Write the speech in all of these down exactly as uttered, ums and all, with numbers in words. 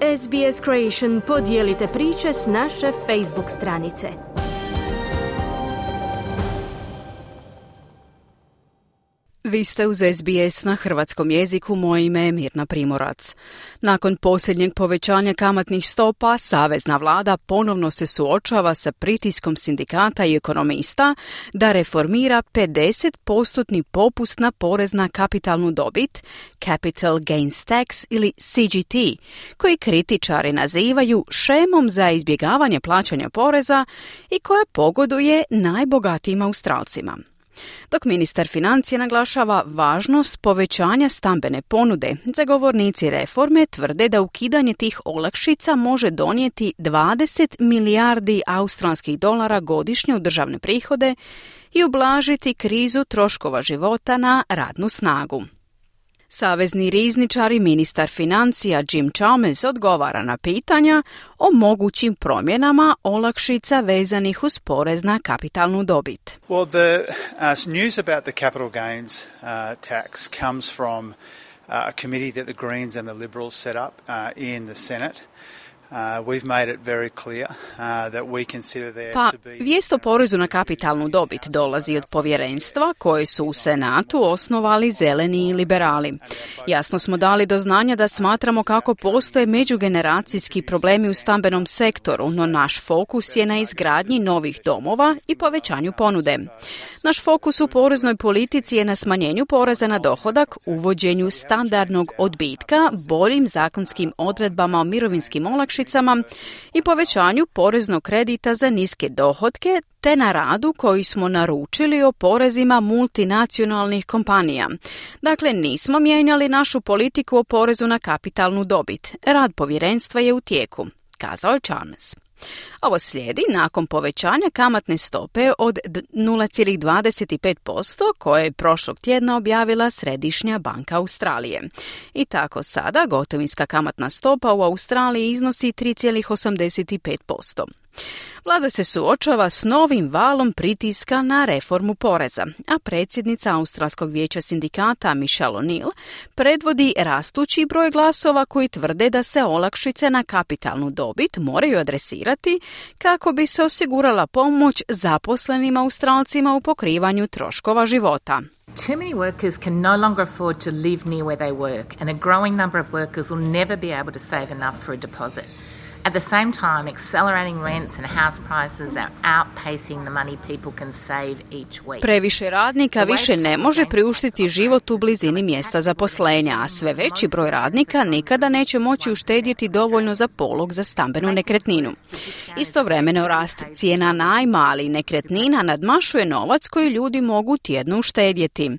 S B S Creation podijelite priče s naše Facebook stranice. Vi ste uz S B S na hrvatskom jeziku, moje ime je Mirna Primorac. Nakon posljednjeg povećanja kamatnih stopa, savezna vlada ponovno se suočava sa pritiskom sindikata i ekonomista da reformira pedeset postotni popust na porez na kapitalnu dobit, Capital Gains Tax ili C G T, koji kritičari nazivaju šemom za izbjegavanje plaćanja poreza i koja pogoduje najbogatijim Australcima. Dok ministar financija naglašava važnost povećanja stambene ponude, zagovornici reforme tvrde da ukidanje tih olakšica može donijeti dvadeset milijardi australskih dolara godišnje u državne prihode i ublažiti krizu troškova života na radnu snagu. Savezni rizničar i ministar financija Jim Chalmers odgovara na pitanja o mogućim promjenama olakšica vezanih uz porez na kapitalnu dobit. Well, the uh, news about the capital gains uh, tax comes from uh, a committee that the Greens and the Liberals set up uh, in the Senate. Uh, we've made it very clear uh, that we consider there pa, to be... vijest o porezu na kapitalnu dobit dolazi od povjerenstva koje su u Senatu osnovali zeleni i liberali. Jasno smo dali do znanja da smatramo kako postoje međugeneracijski problemi u stambenom sektoru, no naš fokus je na izgradnji novih domova i povećanju ponude. Naš fokus u poreznoj politici je na smanjenju poreza na dohodak, uvođenju standardnog odbitka, boljim zakonskim odredbama o mirovinskim olakšicama i povećanju poreznog kredita za niske dohotke, te na radu koji smo naručili o porezima multinacionalnih kompanija. Dakle, nismo mijenjali našu politiku o porezu na kapitalnu dobit. Rad povjerenstva je u tijeku, kazao je Chalmers. Ovo slijedi nakon povećanja kamatne stope od nula zarez dvadeset pet posto koje je prošlog tjedna objavila Središnja banka Australije. I tako sada gotovinska kamatna stopa u Australiji iznosi tri zarez osamdeset pet posto. Vlada se suočava s novim valom pritiska na reformu poreza, a predsjednica Australskog vijeća sindikata Michelle O'Neill predvodi rastući broj glasova koji tvrde da se olakšice na kapitalnu dobit moraju adresirati kako bi se osigurala pomoć zaposlenim Australcima u pokrivanju troškova života. Too many workers can no longer afford to live near where they work, and a growing number of workers will never be able to save enough for a deposit. At the same time, accelerating rents and house prices are outpacing the money people can save each week. Previše radnika više ne može priuštiti život u blizini mjesta zaposlenja, a sve veći broj radnika nikada neće moći uštedjeti dovoljno za polog za stambenu nekretninu. Istovremeno rast cijena najma, ali nekretnina nadmašuje novac koji ljudi mogu tjedno uštedjeti.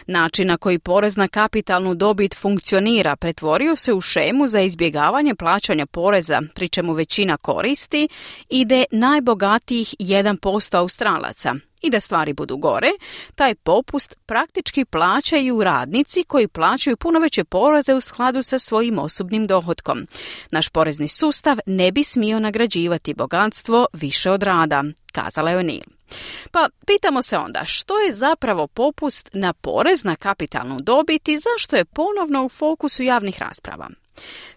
Način na koji porez na kapitalnu dobit funkcionira pretvorio se u šemu za izbjegavanje plaćanja poreza, pri čemu većina koristi ide najbogatijih jedan posto Australaca. I da stvari budu gore, taj popust praktički plaćaju radnici koji plaćaju puno veće poreze u skladu sa svojim osobnim dohotkom. Naš porezni sustav ne bi smio nagrađivati bogatstvo više od rada, kazala je O'Neill. Pa pitamo se onda što je zapravo popust na porez na kapitalnu dobit i zašto je ponovno u fokusu javnih rasprava.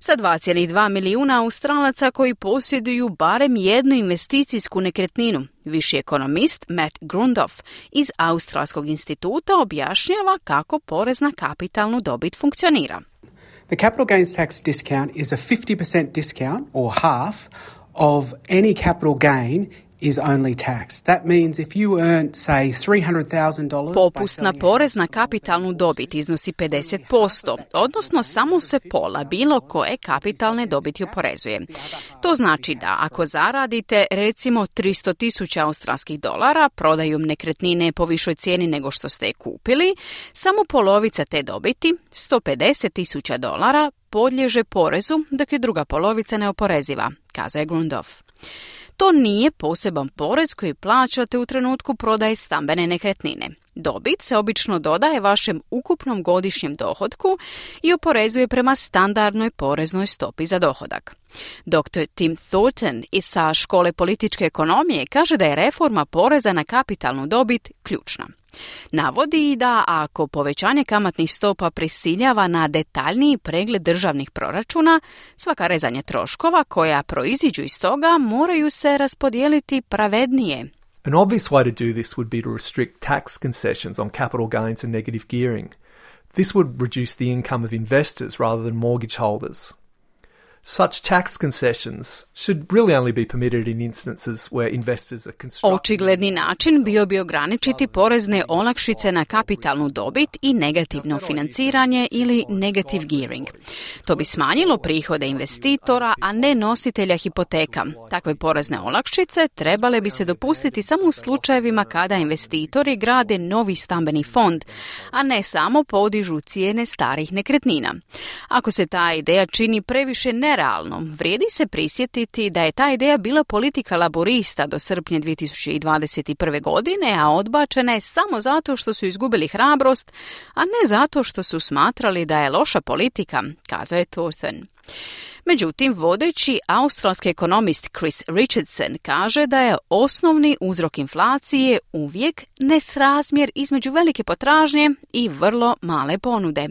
Sa dva zarez dva milijuna Australaca koji posjeduju barem jednu investicijsku nekretninu, viši ekonomist Matt Grundoff iz Australskog instituta objašnjava kako porez na kapitalnu dobit funkcionira. The capital gains tax discount is a fifty percent discount or half of any capital gain is only tax. That means if you earn, say, three hundred thousand dollars... Popust na porez na kapitalnu dobit iznosi pedeset posto, odnosno samo se pola bilo koje kapitalne dobiti oporezuje. To znači da ako zaradite recimo tristo tisuća australskih dolara prodajom nekretnine po višoj cijeni nego što ste je kupili, samo polovica te dobiti, sto pedeset tisuća dolara, podliježe porezu, dok je druga polovica neoporeziva, kazao je Grundoff. To nije poseban porez koji plaćate u trenutku prodaje stambene nekretnine. Dobit se obično dodaje vašem ukupnom godišnjem dohotku i oporezuje prema standardnoj poreznoj stopi za dohodak. doktor Tim Thornton iz sa škole političke ekonomije kaže da je reforma poreza na kapitalnu dobit ključna. Navodi i da ako povećanje kamatnih stopa prisiljava na detaljniji pregled državnih proračuna, svaka rezanja troškova koja proiziđu iz toga moraju se raspodijeliti pravednije. An obvious way to do this would be to restrict tax concessions on capital gains and negative gearing. This would reduce the income of investors rather than mortgage holders. Such tax concessions should really only be permitted in instances where investors are constructing... Očigledni način bio bi ograničiti porezne olakšice na kapitalnu dobit i negativno financiranje ili negative gearing. To bi smanjilo prihode investitora, a ne nositelja hipoteka. Takve porezne olakšice trebale bi se dopustiti samo u slučajevima kada investitori grade novi stambeni fond, a ne samo podižu cijene starih nekretnina. Ako se ta ideja čini previše ne realno, vrijedi se prisjetiti da je ta ideja bila politika laborista do srpnja dvije tisuće dvadeset prve. godine, a odbačena je samo zato što su izgubili hrabrost, a ne zato što su smatrali da je loša politika, kazao je Thornton. Međutim, vodeći australski ekonomist Chris Richardson kaže da je osnovni uzrok inflacije uvijek nesrazmjer između velike potražnje i vrlo male ponude.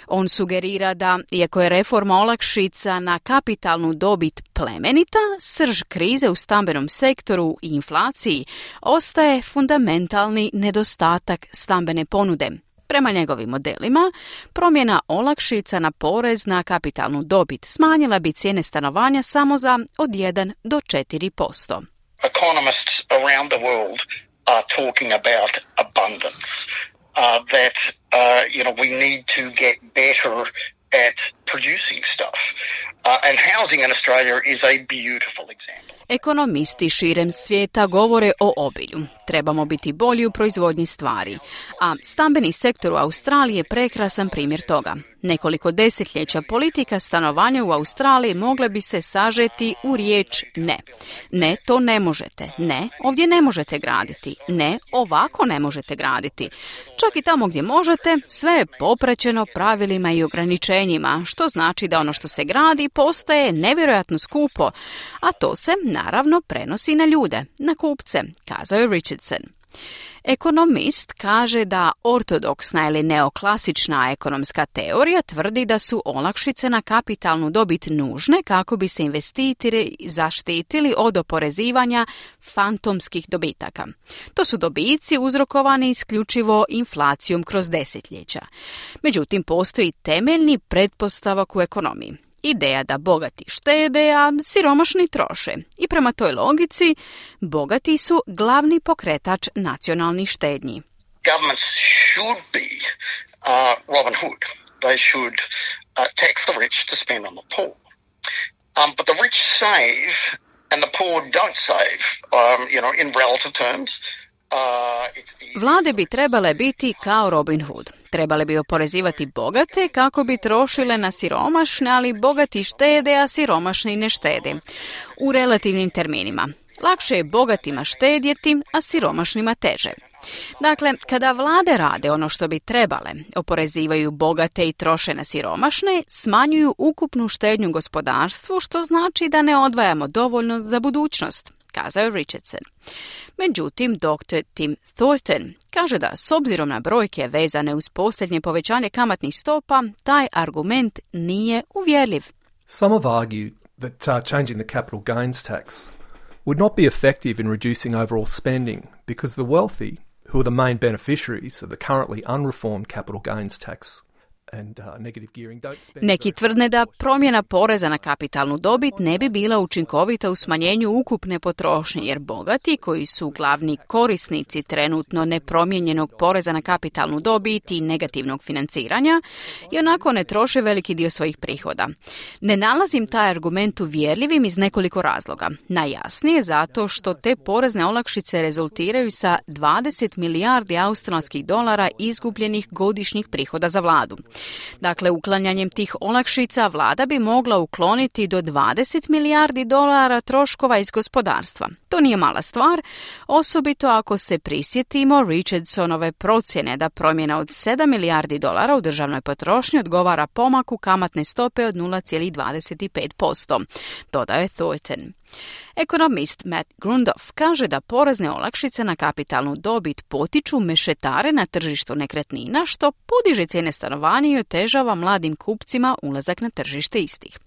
On sugerira da, iako je reforma olakšica na kapitalnu dobit plemenita, srž krize u stambenom sektoru i inflaciji ostaje fundamentalni nedostatak stambene ponude. Prema njegovim modelima, promjena olakšica na porez na kapitalnu dobit smanjila bi cijene stanovanja samo za od jedan do četiri posto. Economists around the world are talking about abundance, uh, that uh, you know we need to get better at producing stuff. Uh, and housing in Australia is a beautiful example. Ekonomisti širem svijeta govore o obilju. Trebamo biti bolji u proizvodnji stvari. A stambeni sektor u Australiji je prekrasan primjer toga. Nekoliko desetljeća politika stanovanja u Australiji mogle bi se sažeti u riječ ne. Ne, to ne možete. Ne, ovdje ne možete graditi. Ne, ovako ne možete graditi. Čak i tamo gdje možete, sve je popraćeno pravilima i ograničenjima, što znači da ono što se gradi postaje nevjerojatno skupo, a to se naravno prenosi na ljude, na kupce, kazao je Richardson. Ekonomist kaže da ortodoksna ili neoklasična ekonomska teorija tvrdi da su olakšice na kapitalnu dobit nužne kako bi se investitori zaštitili od oporezivanja fantomskih dobitaka. To su dobici uzrokovani isključivo inflacijom kroz desetljeća. Međutim, postoji temeljni pretpostavak u ekonomiji. Ideja da bogati štede, a siromašni troše. I prema toj logici, bogati su glavni pokretač nacionalnih štednji. Governments should be uh, Robin Hood. They should uh, tax the rich to spend on the poor. Um, but the rich save and the poor don't save, um, you know, in relative terms. Vlade bi trebale biti kao Robin Hood. Trebale bi oporezivati bogate kako bi trošile na siromašne, ali bogati štede, a siromašni ne štede. U relativnim terminima. Lakše je bogatima štedjeti, a siromašnima teže. Dakle, kada vlade rade ono što bi trebale, oporezivaju bogate i troše na siromašne, smanjuju ukupnu štednju gospodarstvu, što znači da ne odvajamo dovoljno za budućnost, kazao je Richardson. Međutim, doktor Tim Thornton kaže da s obzirom na brojke vezane uz posljednje povećanje kamatnih stopa, taj argument nije uvjerljiv. Some have argued that uh, changing the capital gains tax would not be effective in reducing overall spending because the wealthy, who are the main beneficiaries of the currently unreformed capital gains tax, and, uh, negative gearing, don't spend... Neki tvrdne da promjena poreza na kapitalnu dobit ne bi bila učinkovita u smanjenju ukupne potrošnje, jer bogati, koji su glavni korisnici trenutno nepromijenjenog poreza na kapitalnu dobit i negativnog financiranja, i onako ne troše veliki dio svojih prihoda. Ne nalazim taj argument uvjerljivim iz nekoliko razloga. Najjasnije zato što te porezne olakšice rezultiraju sa dvadeset milijardi australskih dolara izgubljenih godišnjih prihoda za vladu. Dakle, uklanjanjem tih olakšica vlada bi mogla ukloniti do dvadeset milijardi dolara troškova iz gospodarstva. To nije mala stvar, osobito ako se prisjetimo Richardsonove procjene da promjena od sedam milijardi dolara u državnoj potrošnji odgovara pomaku kamatne stope od nula zarez dvadeset pet posto, dodaje Thornton. Ekonomist Matt Grundoff kaže da porezne olakšice na kapitalnu dobit potiču mešetare na tržištu nekretnina, što podiže cijene stanovanja i otežava mladim kupcima ulazak na tržište istih.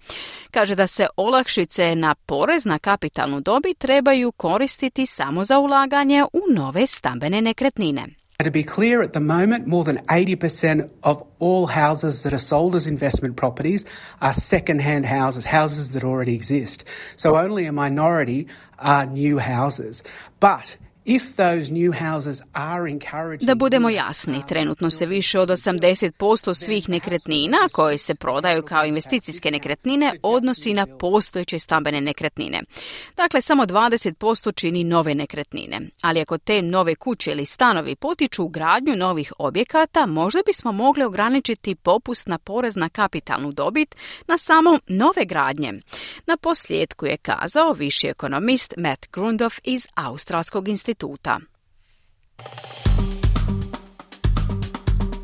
Kaže da se olakšice na porez na kapitalnu dobit trebaju koristiti samo za ulaganje u nove stambene nekretnine. To be clear, at the moment, more than eighty percent of all houses that are sold as investment properties are second-hand houses, houses that already exist. So only a minority are new houses. But if those new houses are encouraging... Da budemo jasni, trenutno se više od osamdeset posto svih nekretnina koje se prodaju kao investicijske nekretnine odnosi na postojeće stambene nekretnine. Dakle, samo dvadeset posto čini nove nekretnine. Ali ako te nove kuće ili stanovi potiču gradnju novih objekata, možda bismo mogli ograničiti popust na porez na kapitalnu dobit na samo nove gradnje. Na posljedku je kazao viši ekonomist Matt Grundoff iz Australskog instituta.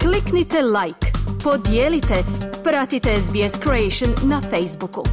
Kliknite like, podijelite, pratite S B S Creation na Facebooku.